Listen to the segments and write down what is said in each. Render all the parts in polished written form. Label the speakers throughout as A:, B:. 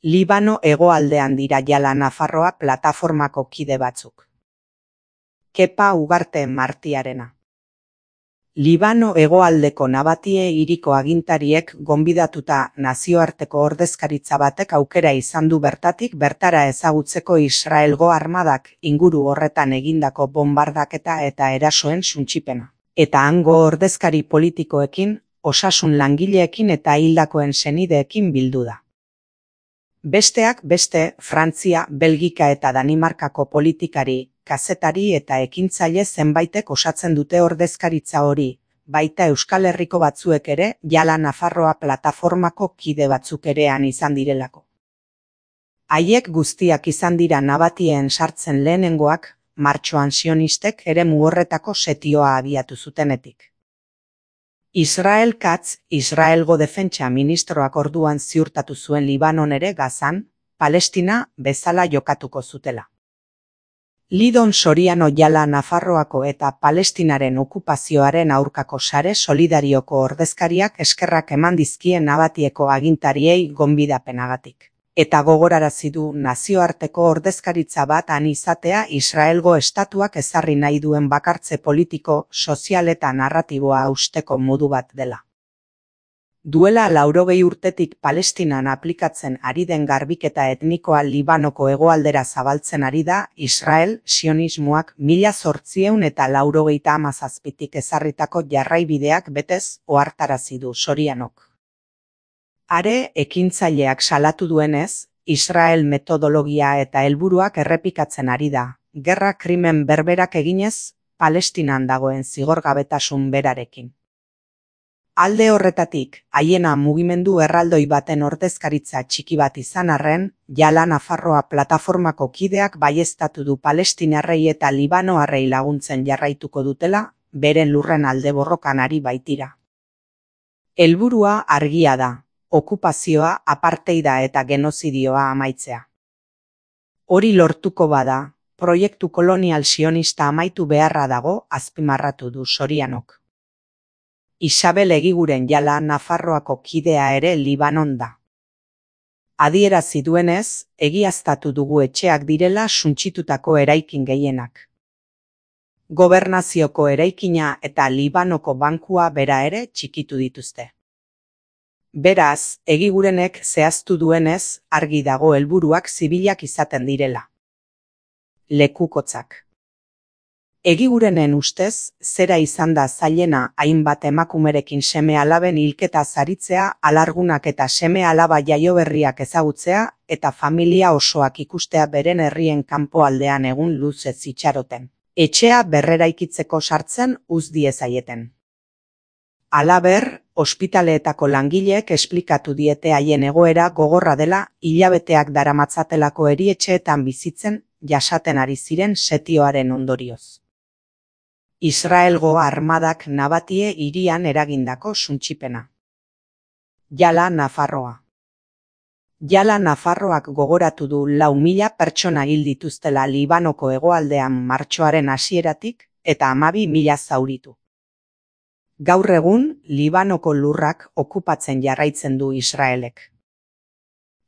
A: Libano hegoaldean dira jala Nafarroa plataformako kide batzuk. Kepa Ugarte Martiarena. Libano hegoaldeko Nabatie hiriko agintariek gonbidatuta nazioarteko ordezkaritza batek aukera izan du bertatik bertara ezagutzeko Israelgo armadak inguru horretan egindako bombardaketa eta erasoen suntsipena. Eta hango ordezkari politikoekin, osasun langileekin eta hildakoen senideekin bildu da. Besteak beste, Frantzia, Belgika eta Danimarkako politikari, kazetari eta ekintzaile zenbaitek osatzen dute ordezkaritza hori, baita Euskal Herriko batzuek ere, jala Nafarroa plataformako kide batzuk erean izan direlako. Haiek guztiak izan dira Nabatien sartzen lehenengoak, martxoan sionistek eremu horretako setioa abiatu zutenetik. Israel Katz, Israelgo defentsa ministroak orduan ziurtatu zuen Libanon ere Gazan, Palestina bezala jokatuko zutela. Lidon Soriano jala Nafarroako eta Palestinaren okupazioaren aurkako sare solidarioko ordezkariak eskerrak eman dizkien Nabatieko agintariei gonbidapenagatik. Eta gogorarazi du nazioarteko ordezkaritza bat han izatea Israelgo estatuak ezarri nahi duen bakartze politiko, sozial eta narratiboa hausteko modu bat dela. Duela 80 urtetik Palestinan aplikatzen ari den garbiketa etnikoa Libanoko hegoaldera zabaltzen ari da Israel sionismoak 1897tik ezarritako jarraibideak betez ohartarazi du Sorianok. Are, ekintzaileak salatu duenez, Israel metodologia eta helburuak errepikatzen ari da, gerra krimen berberak eginez, Palestinan dagoen zigorgabetasun berarekin. Alde horretatik, haiena mugimendu erraldoi baten ordezkaritza txiki bat izan arren, jala Nafarroa plataformako kideak baieztatu du palestinarrei eta libanoarrei laguntzen jarraituko dutela, beren lurren alde borrokan ari baitira. Helburua argia da. Okupazioa, apartheida eta genozidioa amaitzea. Hori lortuko bada, proiektu kolonial sionista amaitu beharra dago azpimarratu du Sorianok. Isabel Egiguren jala Nafarroako kidea ere Libanon da. Adierazi duenez, egiaztatu dugu etxeak direla suntsitutako eraikin gehienak. Gobernazioko eraikina eta Libanoko bankua bera ere txikitu dituzte. Beraz, Egigurenek zehaztu duenez, argi dago helburuak zibilak izaten direla. Lekukotzak. Egigurenen ustez, zera izan da zailena hainbat emakumerekin seme-alaben hilketa zaritzea, alargunak eta seme-alaba jaioberriak ezagutzea, eta familia osoak ikustea beren herrien kanpoaldean egun luzez itxaroten. Etxea berreraikitzeko sartzen uz diezaieten. Halaber, ospitaleetako langileek esplikatu diete haien egoera gogorra dela hilabeteak daramatzatelako erietxeetan bizitzen jasaten ari ziren setioaren ondorioz. Israelgo armadak Nabatie hirian eragindako suntsipena. Jala Nafarroa. Jala Nafarroak gogoratu du 4.000 pertsona hil dituztela Libanoko hegoaldean martxoaren hasieratik eta 12.000 zauritu. Gaur egun, Libanoko lurrak okupatzen jarraitzen du Israelek.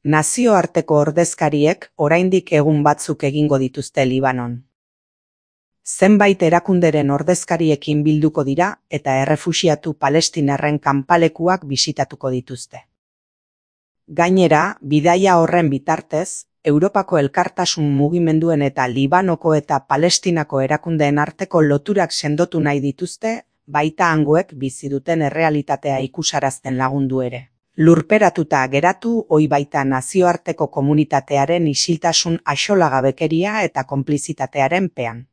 A: Nazioarteko ordezkariek oraindik egun batzuk egingo dituzte Libanon. Zenbait erakunderen ordezkariekin bilduko dira eta errefuxiatu palestinarren kanpalekuak bisitatuko dituzte. Gainera, bidaia horren bitartez, Europako elkartasun mugimenduen eta Libanoko eta Palestinako erakundeen arteko loturak sendotu nahi dituzte, baita hangoek bizi duten errealitatea ikusarazten lagundu ere. Lurperatuta geratu ohi baita nazioarteko komunitatearen isiltasun axolagabekeria eta konplizitatearen pean.